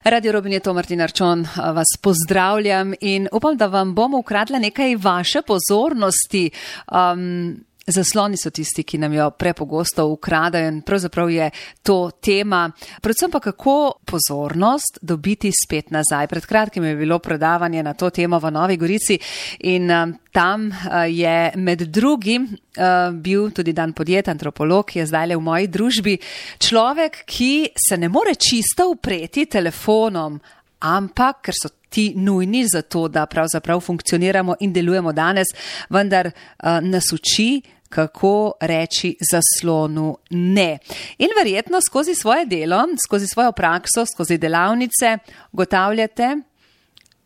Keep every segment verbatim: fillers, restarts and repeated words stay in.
Radio Robin je to, Martin Arčon, vas pozdravljam in upam, da vam bom ukradla nekaj vaše pozornosti. Um, Zasloni so tisti, ki nam jo prepogosto ukradajo in pravzaprav je to tema. Predvsem pa kako pozornost dobiti spet nazaj. Pred kratkim je bilo predavanje na to temo v Novi Gorici in um, tam uh, je med drugim uh, bil tudi Dan podjetja, antropolog, ki je zdaj v moji družbi. Človek, ki se ne more čisto upreti telefonom, ampak ker so ti nujni za to, da pravzaprav funkcioniramo in delujemo danes, vendar uh, nas uči, kako reči zaslonu ne. In verjetno skozi svoje delo, skozi svojo prakso, skozi delavnice ugotavljate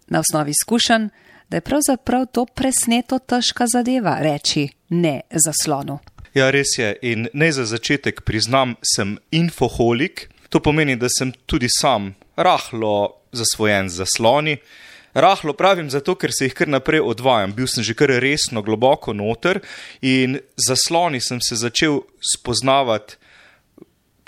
na osnovi izkušenj, da je pravzaprav to presneto težka zadeva reči ne zaslonu. Ja, res je. In naj za začetek priznam, sem infoholik. To pomeni, da sem tudi sam rahlo zasvojen z zasloni. Rahlo pravim zato, ker se jih kar naprej odvajam. Bil sem že kar resno globoko noter in zasloni sem se začel spoznavati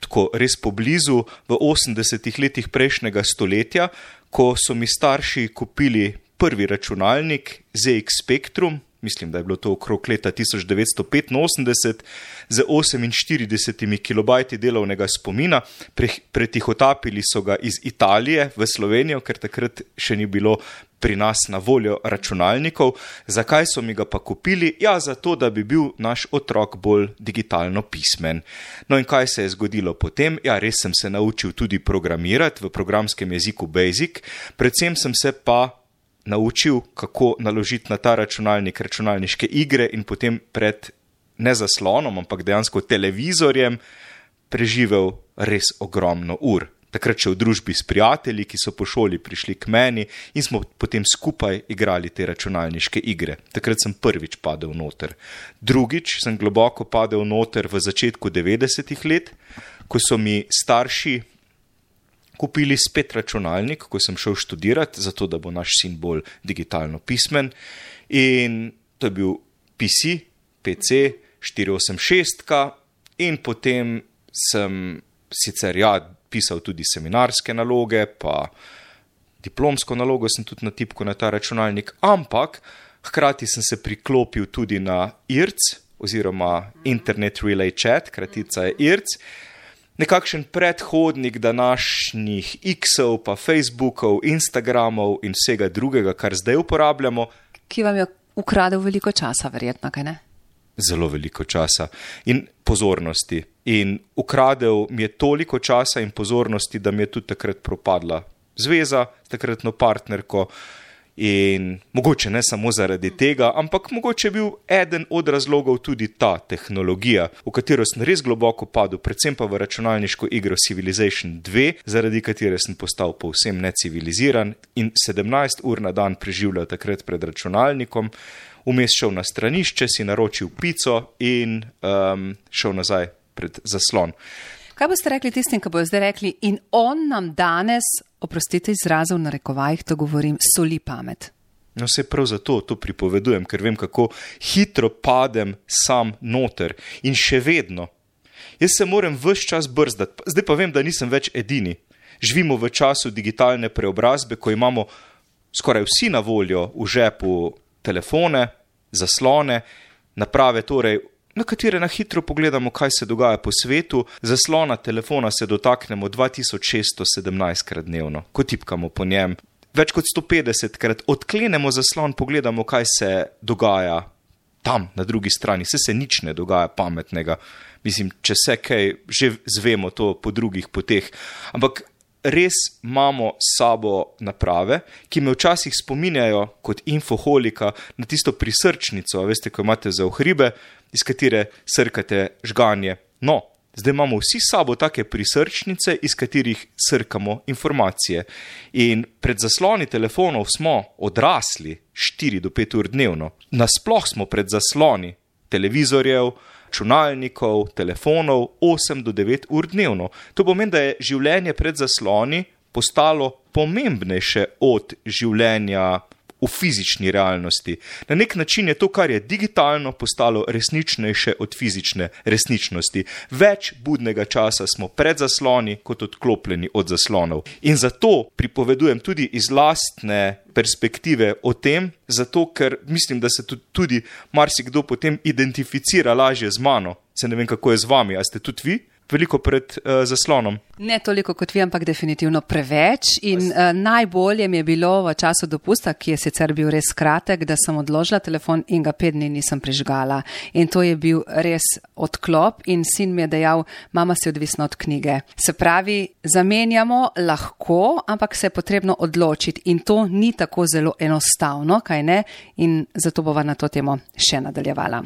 tako res poblizu v osemdesetih letih prejšnjega stoletja, ko so mi starši kupili prvi računalnik Z X Spectrum, mislim, da je bilo to okrog leta tisoč devetsto petinosemdeset, z oseminštiridesetimi kilobajti delovnega spomina. Pre, pretihotapili so ga iz Italije v Slovenijo, ker takrat še ni bilo pri nas na voljo računalnikov. Zakaj so mi ga pa kupili? Ja, zato, da bi bil naš otrok bolj digitalno pismen. No in kaj se je zgodilo potem? Ja, res sem se naučil tudi programirati v programskem jeziku Basic, predvsem sem se pa naučil, kako naložiti na ta računalnik računalniške igre in potem pred ne zaslonom, ampak dejansko televizorjem preživel res ogromno ur. Takrat še v družbi s prijatelji, ki so po šoli prišli k meni in smo potem skupaj igrali te računalniške igre. Takrat sem prvič padel noter. Drugič sem globoko padel noter v začetku devetdesetih let, ko so mi starši kupili spet računalnik, ko sem šel študirati, zato da bo naš sin bolj digitalno pismen. In to je bil P C, P C štiri osem šest in potem sem sicer ja pisal tudi seminarske naloge, pa diplomsko nalogo sem tudi natipkal na ta računalnik, ampak hkrati sem se priklopil tudi na I R C, oziroma Internet Relay Chat, kratica je I R C, nekakšen predhodnik današnjih X-ov, pa Facebookov, Instagramov in vsega drugega, kar zdaj uporabljamo. Ki vam je ukradel veliko časa, verjetno, kaj ne? Zelo veliko časa in pozornosti. In ukradel mi je toliko časa in pozornosti, da mi je tudi takrat propadla zveza s takratno partnerko. In mogoče ne samo zaradi tega, ampak mogoče je bil eden od razlogov tudi ta tehnologija, v katero sem res globoko padel, predvsem pa v računalniško igro Civilization dva, zaradi katere sem postal povsem neciviliziran in sedemnajst ur na dan preživljal takrat pred računalnikom, vmes šel na stranišče, si naročil pico in um, šel nazaj pred zaslon. Kaj boste rekli tistim, ki bojo zdaj rekli, in on nam danes, oprostite izrazov na rekovajih, to govorim, soli pamet? No, se prav zato to pripovedujem, ker vem, kako hitro padem sam noter in še vedno. Jaz se moram ves čas brzdati, zdaj pa vem, da nisem več edini. Živimo v času digitalne preobrazbe, ko imamo skoraj vsi na voljo v žepu telefone, zaslone, naprave torej, na katere na hitro pogledamo, kaj se dogaja po svetu. Zaslona telefona se dotaknemo dva tisoč šeststo sedemnajstkrat dnevno, ko tipkamo po njem. Več kot sto petdesetkrat odklenemo zaslon, pogledamo, kaj se dogaja tam, na drugi strani. Vse se nič ne dogaja pametnega. Mislim, če se kaj, že zvemo to po drugih poteh. Ampak res imamo s sabo naprave, ki me včasih spominjajo kot infoholika na tisto prisrčnico, veste, ko imate za ohribe, iz katere srkate žganje. No, zdaj imamo vsi s sabo take prisrčnice, iz katerih srkamo informacije. In pred zasloni telefonov smo odrasli štiri do pet ur dnevno. Nasploh smo pred zasloni televizorjev, računalnikov, telefonov osem do devet ur dnevno. To pomeni, da je življenje pred zasloni postalo pomembnejše od življenja v fizični realnosti. Na nek način je to, kar je digitalno, postalo resničnejše od fizične resničnosti. Več budnega časa smo pred zasloni, kot odklopljeni od zaslonov. In zato pripovedujem tudi iz lastne perspektive o tem, zato ker mislim, da se tudi marsikdo potem identificira lažje z mano. Se ne vem, kako je z vami, a ste tudi vi veliko pred uh, zaslonom? Ne toliko kot vi, ampak definitivno preveč. In uh, najbolje mi je bilo v času dopusta, ki je sicer bil res kratek, da sem odložila telefon in ga pet dni nisem prižgala. In to je bil res odklop in sin mi je dejal, mama si odvisna od knjige. Se pravi, zamenjamo lahko, ampak se je potrebno odločiti in to ni tako zelo enostavno, kaj ne? In zato bova na to temo še nadaljevala.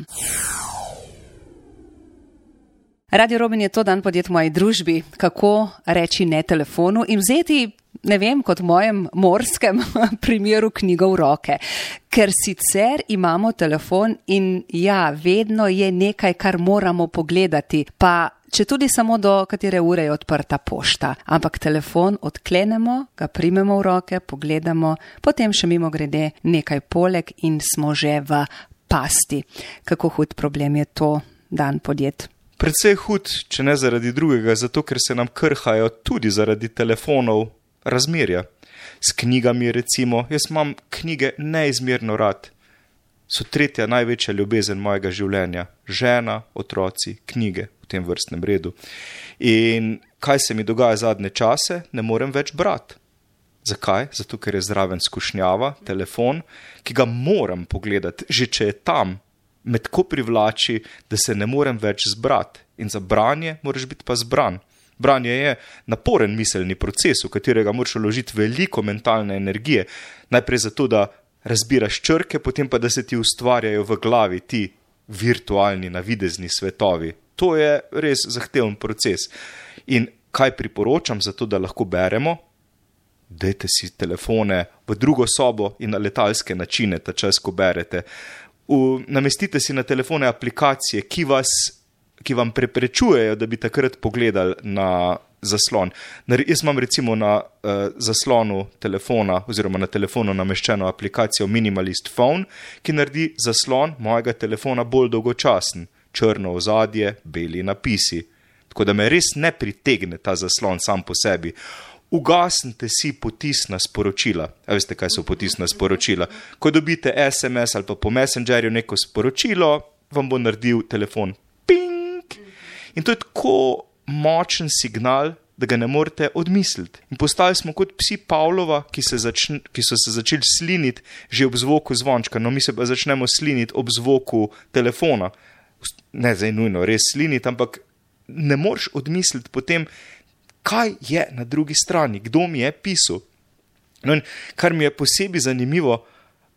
Radio Robin je to dan podjet v moji družbi, kako reči ne telefonu in vzeti, ne vem, kot v mojem morskem primeru knjigo v roke. Ker sicer imamo telefon in ja, vedno je nekaj, kar moramo pogledati, pa če tudi samo do katere ure je odprta pošta. Ampak telefon odklenemo, ga primemo v roke, pogledamo, potem še mimo grede nekaj poleg in smo že v pasti. Kako hud problem je to dan podjet? Predvsej hud, če ne zaradi drugega, zato ker se nam krhajo tudi zaradi telefonov razmerja. S knjigami recimo, jaz imam knjige neizmerno rad. So tretja največja ljubezen mojega življenja. Žena, otroci, knjige v tem vrstnem redu. In kaj se mi dogaja zadnje čase? Ne morem več brati. Zakaj? Zato ker je zraven skušnjava, telefon, ki ga moram pogledati, že če je tam. Me tako privlači, da se ne morem več zbrati. In za branje moraš biti pa zbran. Branje je naporen miselni proces, v katerega moraš vložiti veliko mentalne energije. Najprej zato, da razbiraš črke, potem pa, da se ti ustvarjajo v glavi ti virtualni, navidezni svetovi. To je res zahteven proces. In kaj priporočam za to, da lahko beremo? Dajte si telefone v drugo sobo in na letalske načine, ta čas, ko berete. V, namestite si na telefone aplikacije, ki, vas, ki vam preprečujejo, da bi takrat pogledali na zaslon. Jaz imam recimo na uh, zaslonu telefona oziroma na telefonu nameščeno aplikacijo Minimalist Phone, ki naredi zaslon mojega telefona bolj dolgočasen. Črno ozadje, beli napisi. Tako da me res ne pritegne ta zaslon sam po sebi. Ugasnite si potisna sporočila. A veste, kaj so potisna sporočila? Ko dobite es em es ali pa po Messengerju neko sporočilo, vam bo naredil telefon ping. In to je tako močen signal, da ga ne morete odmisliti. In postali smo kot psi Pavlova, ki, se začn, ki so se začeli sliniti že ob zvoku zvončka. No, mi se pa začnemo sliniti ob zvoku telefona. Ne zdaj nujno res sliniti, ampak ne moreš odmisliti potem, kaj je na drugi strani, kdo mi je pisal. No, in kar mi je posebej zanimivo,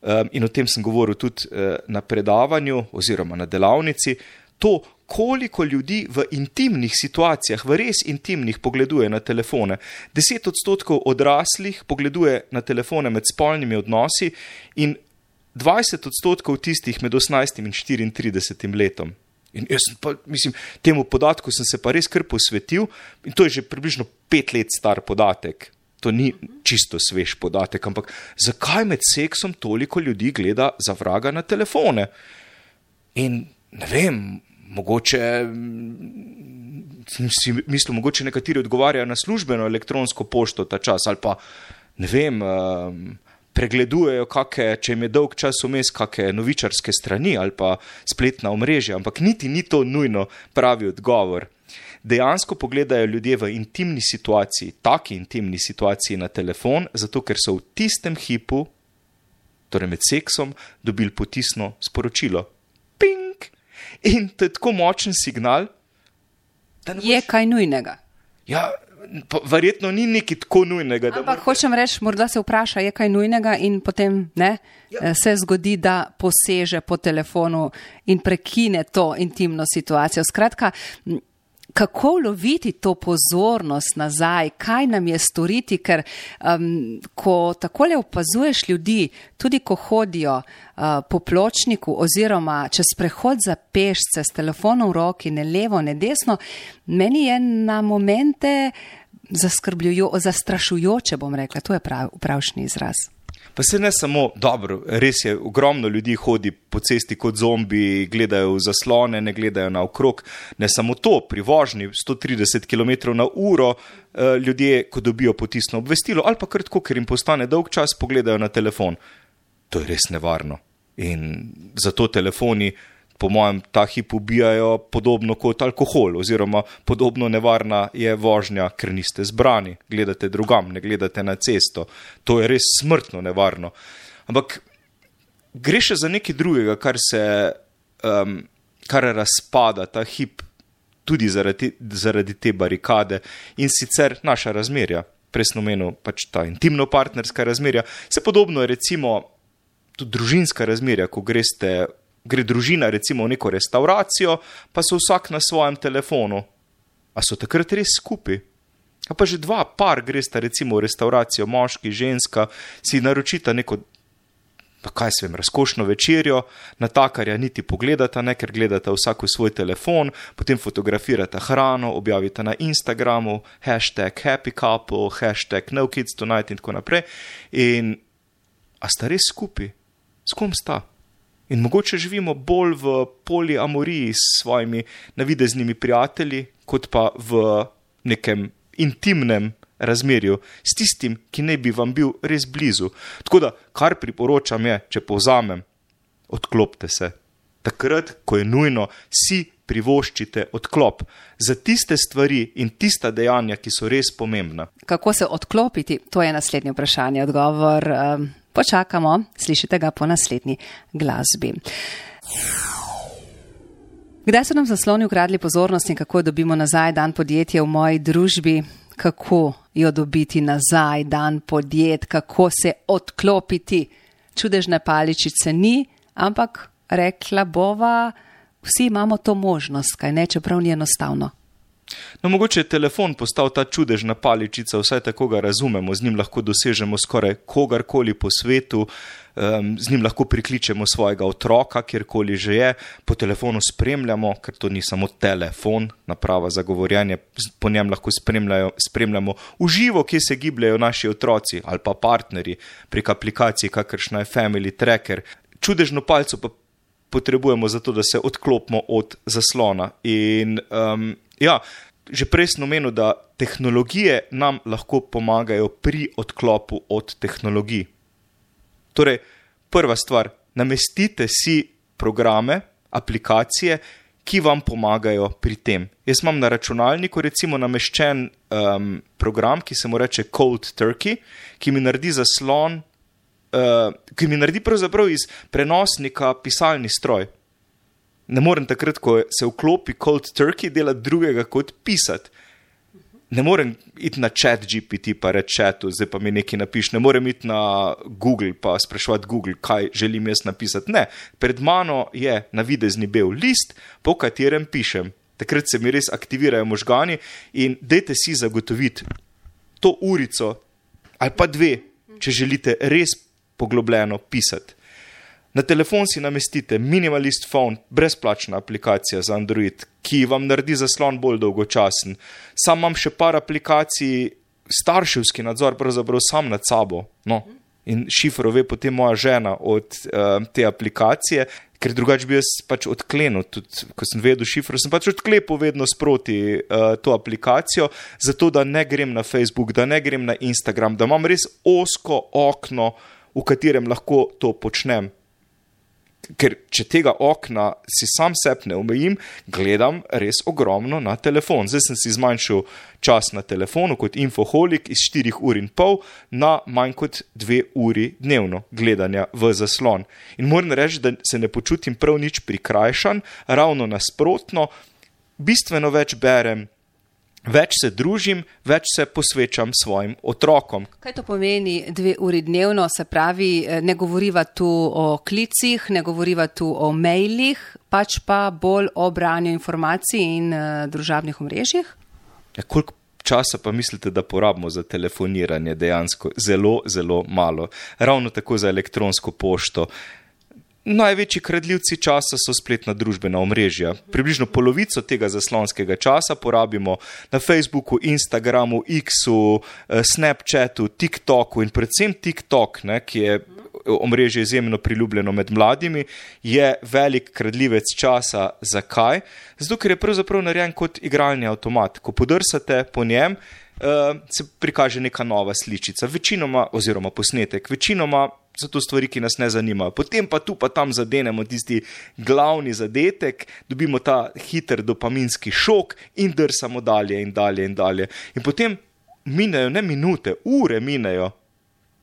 um, in o tem sem govoril tudi uh, na predavanju oziroma na delavnici, to, koliko ljudi v intimnih situacijah, v res intimnih, pogleduje na telefone. Deset odstotkov odraslih pogleduje na telefone med spolnimi odnosi in dvajset odstotkov tistih med osemnajstim in štiriintridesetim letom. In jaz pa, mislim, temu podatku sem se pa res kar posvetil in to je že približno pet let star podatek. To ni čisto svež podatek, ampak zakaj med seksom toliko ljudi gleda za vraga na telefone? In ne vem, mogoče, si mislim, mogoče nekateri odgovarjajo na službeno elektronsko pošto ta čas ali pa, ne vem, um, pregledujejo, kake, če jim je dolg čas vmes, kake novičarske strani ali pa spletna omrežja, ampak niti ni to nujno pravi odgovor. Dejansko pogledajo ljudje v intimni situaciji, taki intimni situaciji na telefon, zato ker so v tistem hipu, torej med seksom, dobili potisno sporočilo. Ping! In to je tako močen signal, da ne boš... Je kaj nujnega? Ja, pa verjetno ni nekaj tako nujnega. Ampak morda... hočem reči, morda se vpraša, je kaj nujnega in potem ne, ja. Se zgodi, da poseže po telefonu in prekine to intimno situacijo. Skratka, kako loviti to pozornost nazaj, kaj nam je storiti, ker um, ko takole opazuješ ljudi, tudi ko hodijo uh, po pločniku oziroma čez prehod za pešce s telefonom v roki, ne levo, ne desno, meni je na momente zaskrbljujo, zastrašujoče, bom rekla, to je prav, pravšnji izraz. Pa se ne samo, dobro, res je, ogromno ljudi hodi po cesti kot zombi, gledajo v zaslone, ne gledajo naokrog. Ne samo to, pri vožnji sto trideset kilometrov na uro ljudje, ko dobijo potisno obvestilo, ali pa kar tako, ker jim postane dolg čas, pogledajo na telefon. To je res nevarno. In zato telefoni, po mojem, ta hip ubijajo podobno kot alkohol, oziroma podobno nevarna je vožnja, ker niste zbrani, gledate drugam, ne gledate na cesto. To je res smrtno nevarno. Ampak gre še za nekaj drugega, kar se, um, kar razpada ta hip tudi zaradi, zaradi te barikade in sicer naša razmerja. Prej sem omenil pač ta intimno-partnerska razmerja. Se podobno je recimo tudi družinska razmerja, ko greste Gre družina recimo v neko restauracijo, pa so vsak na svojem telefonu. A so takrat res skupaj? A pa že dva par gresta recimo v restauracijo, moški, ženska, si naročita neko, pa kaj se vem, razkošno večerjo, natakarja niti pogledata, ne, ker gledata vsak v svoj telefon, potem fotografirata hrano, objavita na Instagramu, hashtag happy couple, hashtag no kids tonight in tako naprej. In a sta res skupaj? S kom sta? In mogoče živimo bolj v poliamoriji s svojimi navideznimi prijatelji, kot pa v nekem intimnem razmerju s tistim, ki ne bi vam bil res blizu. Tako da, kar priporočam je, če povzamem, odklopte se. Takrat, ko je nujno, si privoščite odklop za tiste stvari in tista dejanja, ki so res pomembna. Kako se odklopiti? To je naslednje vprašanje. Odgovor um, počakamo, slišite ga po naslednji glasbi. Kdaj so nam zasloni ukradli pozornost in kako dobimo nazaj dan podjetja v moji družbi? Kako jo dobiti nazaj dan podjet? Kako se odklopiti? Čudežne paličice ni, ampak rekla bova, vsi imamo to možnost, kaj ne, čeprav ni enostavno. No, mogoče je telefon postal ta čudežna paličica, vsaj tako ga razumemo, z njim lahko dosežemo skoraj kogarkoli po svetu, um, z njim lahko prikličemo svojega otroka, kjerkoli že je, po telefonu spremljamo, ker to ni samo telefon, naprava za govorjenje, po njem lahko spremljamo uživo, kje se gibljajo naši otroci ali pa partnerji prek aplikacij, kakršna je Family Tracker. Čudežno palico pa potrebujemo zato, da se odklopimo od zaslona. In um, ja, že prej sem omenil, da tehnologije nam lahko pomagajo pri odklopu od tehnologij. Torej, prva stvar, namestite si programe, aplikacije, ki vam pomagajo pri tem. Jaz imam na računalniku recimo nameščen um, program, ki se mu reče Cold Turkey, ki mi naredi zaslon, uh, ki mi naredi pravzaprav iz prenosnika pisalni stroj. Ne morem takrat, ko se vklopi Cold Turkey, delati drugega kot pisati. Ne morem iti na chat G P T pa reči chatu, zdaj pa mi nekaj napiš. Ne morem iti na Google pa spraševati Google, kaj želim jaz napisati. Ne, pred mano je navidezni bel list, po katerem pišem. Takrat se mi res aktivirajo možgani in dajte si zagotoviti to urico ali pa dve, če želite res poglobljeno pisati. Na telefon si namestite Minimalist Phone, brezplačna aplikacija za Android, ki vam naredi zaslon bolj dolgočasen. Sam imam še par aplikacij, starševski nadzor pravzaprav sam nad sabo. No. In šifro ve potem moja žena od uh, te aplikacije, ker drugače bi jaz pač odklenil. Tudi, ko sem vedel šifro, sem pač odklepil vedno sproti uh, to aplikacijo, zato da ne grem na Facebook, da ne grem na Instagram, da imam res ozko okno, v katerem lahko to počnem. Ker če tega okna si sam sebe ne omejim, gledam res ogromno na telefon. Zdaj sem si zmanjšal čas na telefonu kot infoholik iz štirih ur in pol na manj kot dve uri dnevno gledanja v zaslon. In moram reči, da se ne počutim prav nič prikrajšan, ravno nasprotno, bistveno več berem, več se družim, več se posvečam svojim otrokom. Kaj to pomeni dve uri dnevno? Se pravi, ne govoriva tu o klicih, ne govoriva tu o mailih, pač pa bolj o branju informacij in uh, družabnih omrežjih? Ja, koliko časa pa mislite, da porabimo za telefoniranje dejansko? Zelo, zelo malo. Ravno tako za elektronsko pošto. Največji kradljivci časa so spletna družbena omrežja. Približno polovico tega zaslonskega časa porabimo na Facebooku, Instagramu, X-u, Snapchatu, TikToku in predvsem TikTok, ne, ki je omrežje izjemno priljubljeno med mladimi, je velik kradljivec časa. Zakaj? Zato, ker je pravzaprav narejen kot igralni avtomat. Ko podrsate po njem, se prikaže neka nova sličica, večinoma, oziroma posnetek, večinoma so to stvari, ki nas ne zanimajo. Potem pa tu pa tam zadenemo tisti glavni zadetek, dobimo ta hiter dopaminski šok in drsamo dalje in dalje in dalje. In potem minejo ne minute, ure minejo.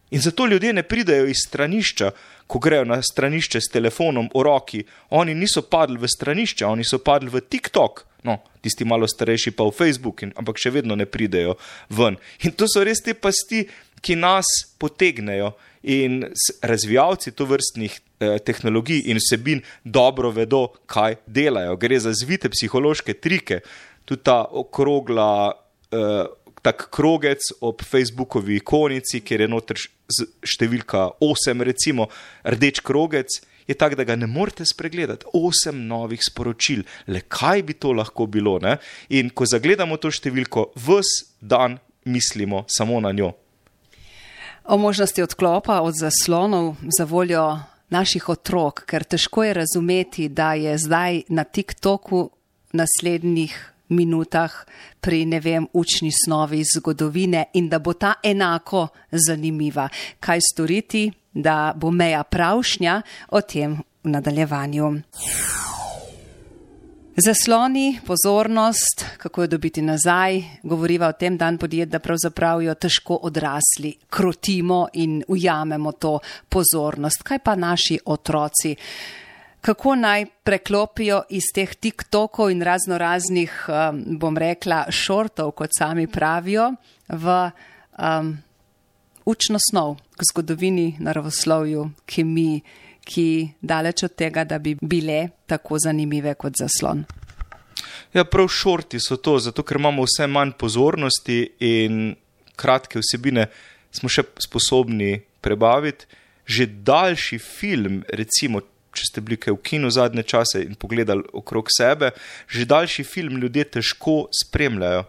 In zato ljudje ne pridejo iz stranišča, ko grejo na stranišče s telefonom v roki. Oni niso padli v stranišče, oni so padli v TikTok. No, tisti malo starejši pa v Facebook, in, ampak še vedno ne pridejo ven. In to so res te pasti, ki nas potegnejo. In razvijalci tovrstnih eh, tehnologij in vsebin dobro vedo, kaj delajo. Gre za zvite psihološke trike. Tudi ta okrogla, eh, tak krogec ob Facebookovi ikonici, kjer je noter številka osem, recimo rdeč krogec, je tak, da ga ne morete spregledati. Osem novih sporočil. Le kaj bi to lahko bilo, ne? In ko zagledamo to številko, ves dan mislimo samo na njo. O možnosti odklopa od zaslonov za voljo naših otrok, ker težko je razumeti, da je zdaj na TikToku naslednjih minutah pri, ne vem, učni snovi zgodovine in da bo ta enako zanimiva. Kaj storiti, da bo meja pravšnja, o tem v nadaljevanju. Zasloni, pozornost, kako jo dobiti nazaj, govoriva o tem dan podjet, da pravzaprav jo težko odrasli krotimo in ujamemo to pozornost. Kaj pa naši otroci? Kako naj preklopijo iz teh TikTokov in razno raznih, um, bom rekla, šortov, kot sami pravijo, v um, učno snov, k zgodovini, naravoslovju, kemiji, ki daleč od tega, da bi bile tako zanimive kot zaslon. Ja, prav šorti so to, zato ker imamo vse manj pozornosti in kratke vsebine smo še sposobni prebaviti. Že daljši film, recimo, če ste bili kaj v kinu zadnje čase in pogledali okrog sebe, že daljši film ljudje težko spremljajo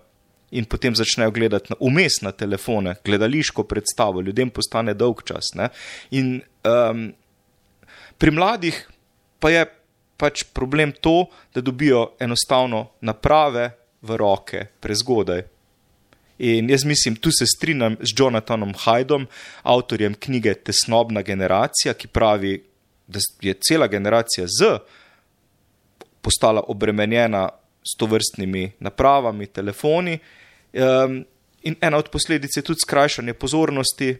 in potem začnejo gledati vmes na telefone, gledališko predstavo, ljudem postane dolg čas, ne? In um, pri mladih pa je pač problem to, da dobijo enostavno naprave v roke prezgodaj. In jaz mislim, tu se strinjam z Jonathanom Haidom, avtorjem knjige Tesnobna generacija, ki pravi, da je cela generacija Z postala obremenjena s tovrstnimi napravami, telefoni. Um, in ena od posledic je tudi skrajšanje pozornosti,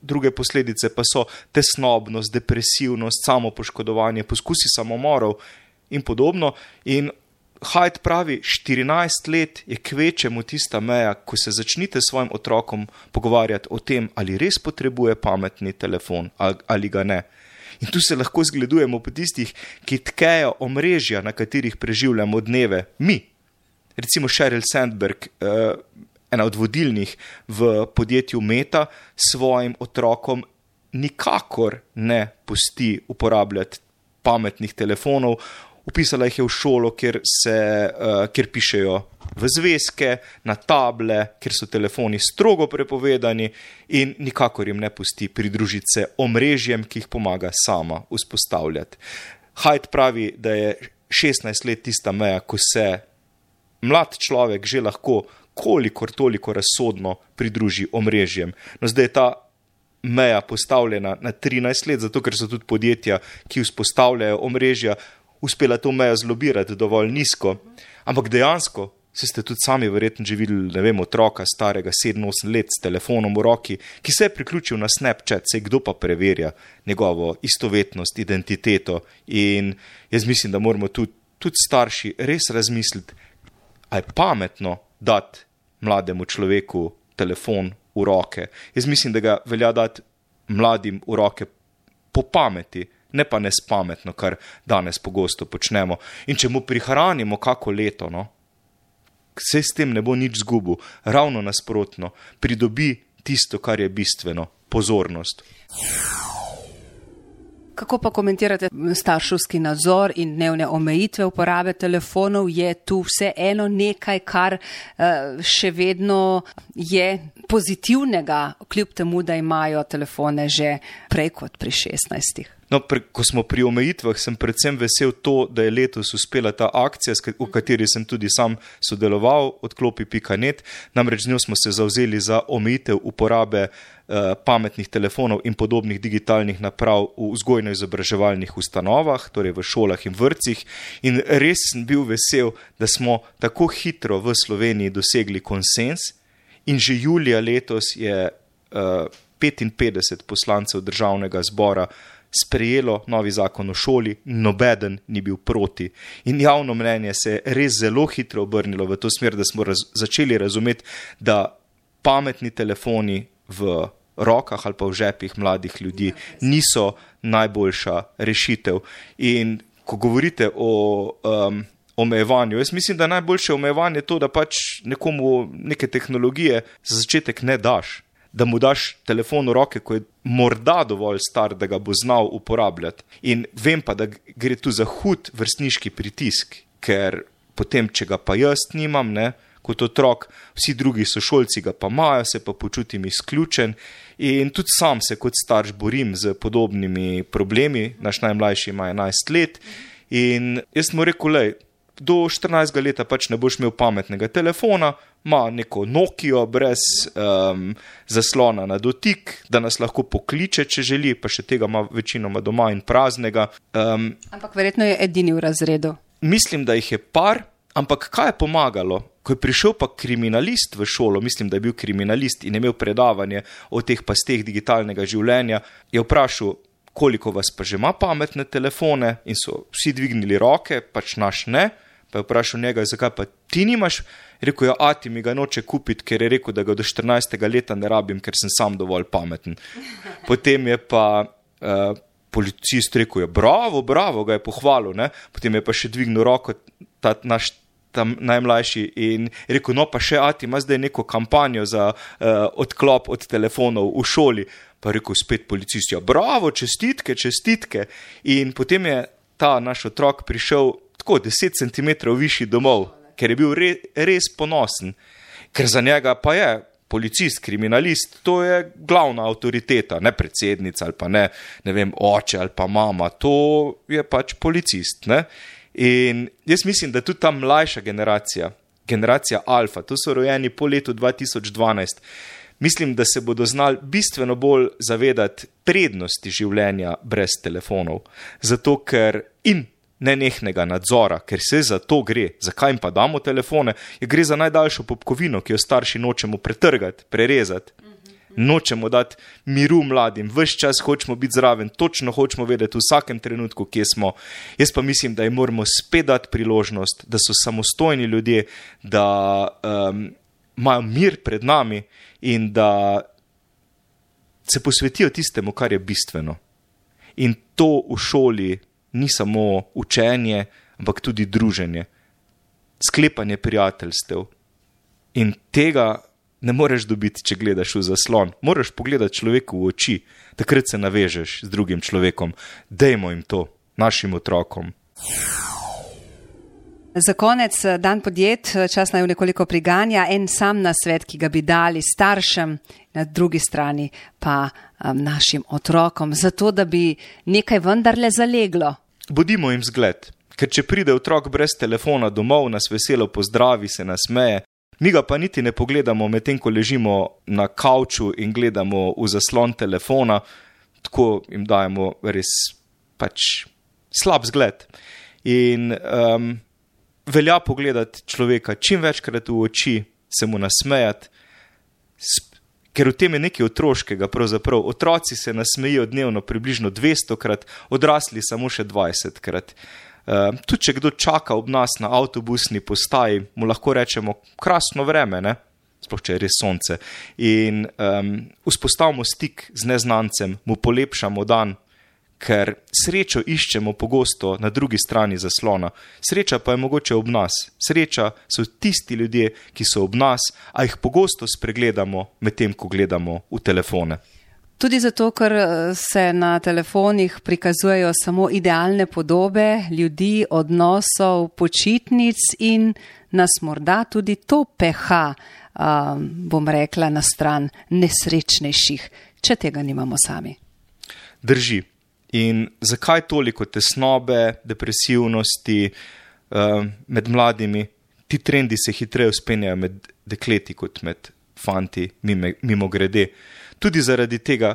druge posledice pa so tesnobnost, depresivnost, samopoškodovanje, poskusi samomorov in podobno. In Haid pravi, štirinajst let je kvečemu tista meja, ko se začnite s svojim otrokom pogovarjati o tem, ali res potrebuje pametni telefon ali ga ne. In tu se lahko zgledujemo po tistih, ki tkejo omrežja, na katerih preživljamo dneve. Mi, recimo Sheryl Sandberg, uh, ena od vodilnih v podjetju Meta, svojim otrokom nikakor ne pusti uporabljati pametnih telefonov. Upisala jih je v šolo, kjer, se, uh, kjer pišejo v zvezke, na table, kjer so telefoni strogo prepovedani in nikakor jim ne pusti pridružiti se omrežjem, ki jih pomaga sama vzpostavljati. Haid pravi, da je šestnajst let tista meja, ko se mlad človek že lahko kolikor toliko razsodno pridruži omrežjem. No, zdaj je ta meja postavljena na trinajst let, zato ker so tudi podjetja, ki vzpostavljajo omrežja, uspela to mejo zlobirati dovolj nizko. Ampak dejansko, se ste tudi sami verjetno že videli, ne vem, otroka starega sedem osem let s telefonom v roki, ki se je priključil na Snapchat, sej kdo pa preverja njegovo istovetnost, identiteto. In jaz mislim, da moramo tudi, tudi starši res razmisliti, a je pametno dati mlademu človeku telefon v roke. Jaz mislim, da ga velja dati mladim v roke po pameti, ne pa nespametno, kar danes pogosto počnemo. In če mu prihranimo kako leto, no, se s tem ne bo nič zgubil, ravno nasprotno, pridobi tisto, kar je bistveno, pozornost. Kako pa komentirate starševski nadzor in dnevne omejitve uporabe telefonov? Je tu vse eno nekaj, kar še vedno je pozitivnega, kljub temu, da imajo telefone že prej kot pri šestnajstih? No, pre, ko smo pri omejitvah, sem predvsem vesel to, da je letos uspela ta akcija, v kateri sem tudi sam sodeloval, odklopi pika net. Namreč z njo smo se zavzeli za omejitev uporabe eh, pametnih telefonov in podobnih digitalnih naprav v vzgojno-izobraževalnih ustanovah, torej v šolah in vrtcih. In res sem bil vesel, da smo tako hitro v Sloveniji dosegli konsens in že julija letos je eh, petinpetdeset poslancev državnega zbora sprejelo novi zakon o šoli, nobeden ni bil proti. In javno mnenje se je res zelo hitro obrnilo v to smer, da smo raz, začeli razumeti, da pametni telefoni v rokah ali pa v žepih mladih ljudi niso najboljša rešitev. In ko govorite o um, omejevanju, jaz mislim, da najboljše omejevanje je to, da pač nekomu neke tehnologije za začetek ne daš. Da mu daš telefon v roke, ko je morda dovolj star, da ga bo znal uporabljati. In vem pa, da gre tu za hud vrstniški pritisk, ker potem, če ga pa jaz nimam, ne, kot otrok, vsi drugi sošolci ga pa imajo, se pa počutim izključen in tudi sam se kot starš borim z podobnimi problemi. Naš najmlajši ima enajst let in jaz mu rekel, lej, do štirinajstega leta pač ne boš imel pametnega telefona, ima neko Nokio brez um, zaslona na dotik, da nas lahko pokliče, če želi, pa še tega ima večinoma doma in praznega. Um, ampak verjetno je edini v razredu. Mislim, da jih je par, ampak kaj je pomagalo? Ko je prišel pa kriminalist v šolo, mislim, da je bil kriminalist in je imel predavanje o teh pasteh digitalnega življenja, je vprašal, koliko vas pa že ima pametne telefone in so vsi dvignili roke, pač naš ne. Pa je vprašal njega, zakaj pa ti nimaš? Rekel je, ati mi ga noče kupiti, ker je rekel, da ga do štirinajstega leta ne rabim, ker sem sam dovolj pameten. Potem je pa uh, policist rekel, je, bravo, bravo, ga je pohvalil, ne? Potem je pa še dvignil roko ta naš tam najmlajši in rekel, no pa še ati ima zdaj neko kampanjo za uh, odklop od telefonov v šoli. Pa je rekel spet policist, ja, bravo, čestitke, čestitke. In potem je ta naš otrok prišel tako deset centimetrov višji domov, ker je bil re, res ponosen. Ker za njega pa je policist, kriminalist, to je glavna avtoriteta, ne predsednica ali pa ne, ne vem, oče ali pa mama, to je pač policist, ne. In jaz mislim, da tudi ta mlajša generacija, generacija alfa, to so rojeni po letu dva tisoč dvanajst, mislim, da se bodo znali bistveno bolj zavedati prednosti življenja brez telefonov. Zato ker in nenehnega nadzora, ker se za to gre. Zakaj jim pa damo telefone? Je gre za najdaljšo popkovino, ki jo starši nočemo pretrgati, prerezati. Nočemo dati miru mladim, ves čas hočemo biti zraven, točno hočemo vedeti v vsakem trenutku, kje smo. Jaz pa mislim, da jim moramo spet dati priložnost, da so samostojni ljudje, da um, imajo mir pred nami in da se posvetijo tistemu, kar je bistveno. In to v šoli ni samo učenje, ampak tudi druženje, sklepanje prijateljstev. In tega ne moreš dobiti, če gledaš v zaslon. Moraš pogledati človeku v oči, takrat se navežeš z drugim človekom. Dajmo jim to, našim otrokom. Za konec dan podjet, čas naj nekoliko priganja, en sam nasvet, ki ga bi dali staršem, na drugi strani pa um, našim otrokom, zato da bi nekaj vendarle zaleglo. Bodimo jim zgled, ker če pride otrok brez telefona domov, nas veselo pozdravi, se nasmeje, mi ga pa niti ne pogledamo medtem, ko ležimo na kavču in gledamo v zaslon telefona, tako jim dajemo res pač slab zgled. In um, velja pogledati človeka čim večkrat v oči, se mu nasmejati, ker v tem je nekaj otroškega pravzaprav. Otroci se nasmejijo dnevno približno dvestokrat, odrasli samo še dvajsetkrat. Uh, tudi če kdo čaka ob nas na avtobusni postaji, mu lahko rečemo krasno vreme, ne? Sploh če je res sonce. In um, vzpostavimo stik z neznancem, mu polepšamo dan, ker srečo iščemo pogosto na drugi strani zaslona. Sreča pa je mogoče ob nas. Sreča so tisti ljudje, ki so ob nas, a jih pogosto spregledamo med tem, ko gledamo v telefone. Tudi zato, ker se na telefonih prikazujejo samo idealne podobe ljudi, odnosov, počitnic in nas morda tudi to peha, um, bom rekla, na stran nesrečnejših, če tega nimamo sami. Drži. In zakaj toliko tesnobe, depresivnosti um, med mladimi? Ti trendi se hitreje vzpenjajo med dekleti kot med fanti, mimo, mimo grede. Tudi zaradi tega,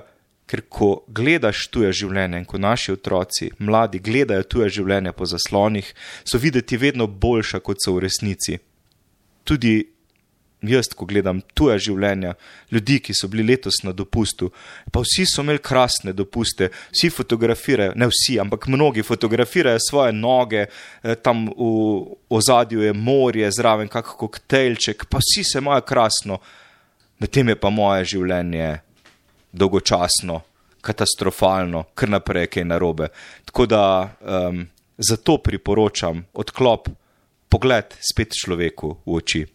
ker ko gledaš tuje življenje in ko naši otroci, mladi, gledajo tuje življenje po zaslonih, so videti vedno boljša, kot so v resnici. Tudi jaz, ko gledam tuje življenja, ljudi, ki so bili letos na dopustu, pa vsi so imeli krasne dopuste, vsi fotografirajo, ne vsi, ampak mnogi fotografirajo svoje noge, tam v ozadju je morje, zraven kak koktejlček, pa vsi se imajo krasno. Medtem je pa moje življenje dolgočasno, katastrofalno, kar naprej kaj narobe. Tako da um, zato priporočam odklop, pogled spet človeku v oči.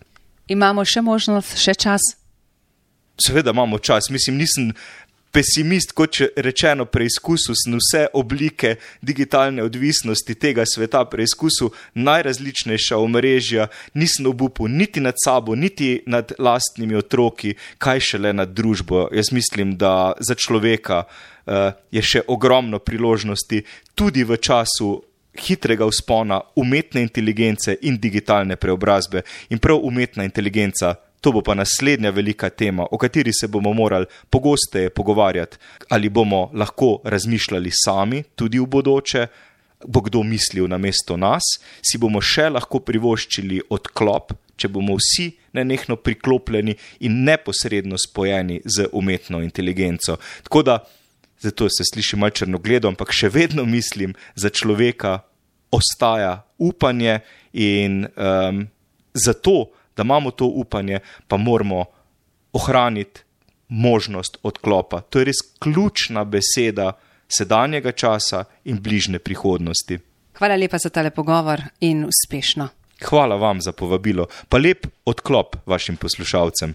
Imamo še možnost, še čas? Seveda imamo čas. Mislim, nisem pesimist, kot rečeno, preizkusil sem vse oblike digitalne odvisnosti tega sveta, preizkusil najrazličnejša omrežja, nisem obupal niti nad sabo, niti nad lastnimi otroki, kaj šele nad družbo. Jaz mislim, da za človeka uh, je še ogromno priložnosti tudi v času hitrega vzpona umetne inteligence in digitalne preobrazbe. In prav umetna inteligenca, to bo pa naslednja velika tema, o kateri se bomo morali pogosteje pogovarjati. Ali bomo lahko razmišljali sami, tudi v bodoče, bo kdo mislil namesto nas, si bomo še lahko privoščili odklop, če bomo vsi nenehno priklopljeni in neposredno spojeni z umetno inteligenco. Tako da, zato se sliši malo črnogledo, ampak še vedno mislim, za človeka ostaja upanje in um, zato, da imamo to upanje, pa moramo ohraniti možnost odklopa. To je res ključna beseda sedanjega časa in bližnje prihodnosti. Hvala lepa za tale pogovor in uspešno. Hvala vam za povabilo, pa lep odklop vašim poslušalcem.